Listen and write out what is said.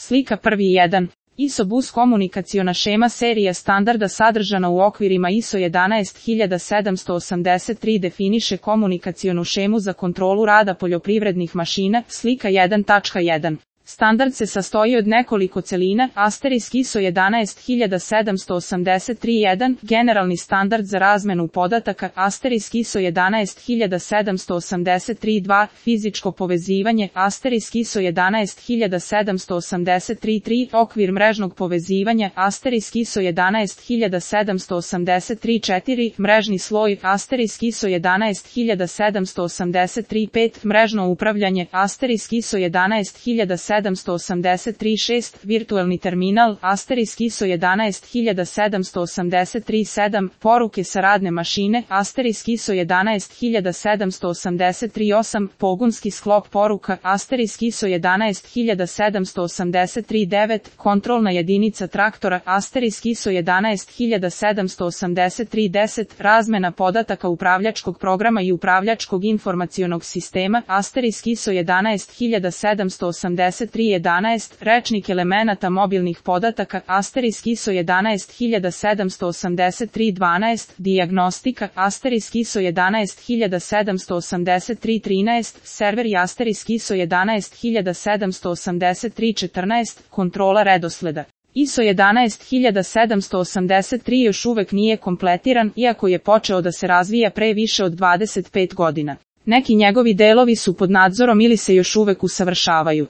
Slika 1.1. ISO bus komunikaciona šema serija standarda sadržana u okvirima ISO 11783 definiše komunikacionu šemu za kontrolu rada poljoprivrednih mašina. Slika 1.1. Standard se sastoji od nekoliko celina, asterisk ISO 11783.1, generalni standard za razmenu podataka, asterisk ISO 11783.2, fizičko povezivanje, asterisk ISO 11783.3, okvir mrežnog povezivanja, asterisk ISO 11783.4, mrežni sloj, asterisk ISO 11783.5, mrežno upravljanje, asterisk ISO 11783.6, virtualni terminal, asterisk ISO 11783.7, poruke sa radne mašine, asterisk ISO 11783.8, pogonski sklop poruka, asterisk ISO 11783.9, kontrolna jedinica traktora, asterisk ISO 11783.10, razmena podataka upravljačkog programa i upravljačkog informacionog sistema, asterisk ISO 11783.11, rečnik elemenata mobilnih podataka, asterisk ISO 11783.12, dijagnostika, asterisk ISO 11783.13, serveri, asterisk ISO 11783.14, kontrola redosleda. ISO 11783 još uvek nije kompletiran, iako je počeo da se razvija pre više od 25 godina. Neki njegovi delovi su pod nadzorom ili se još uvek usavršavaju.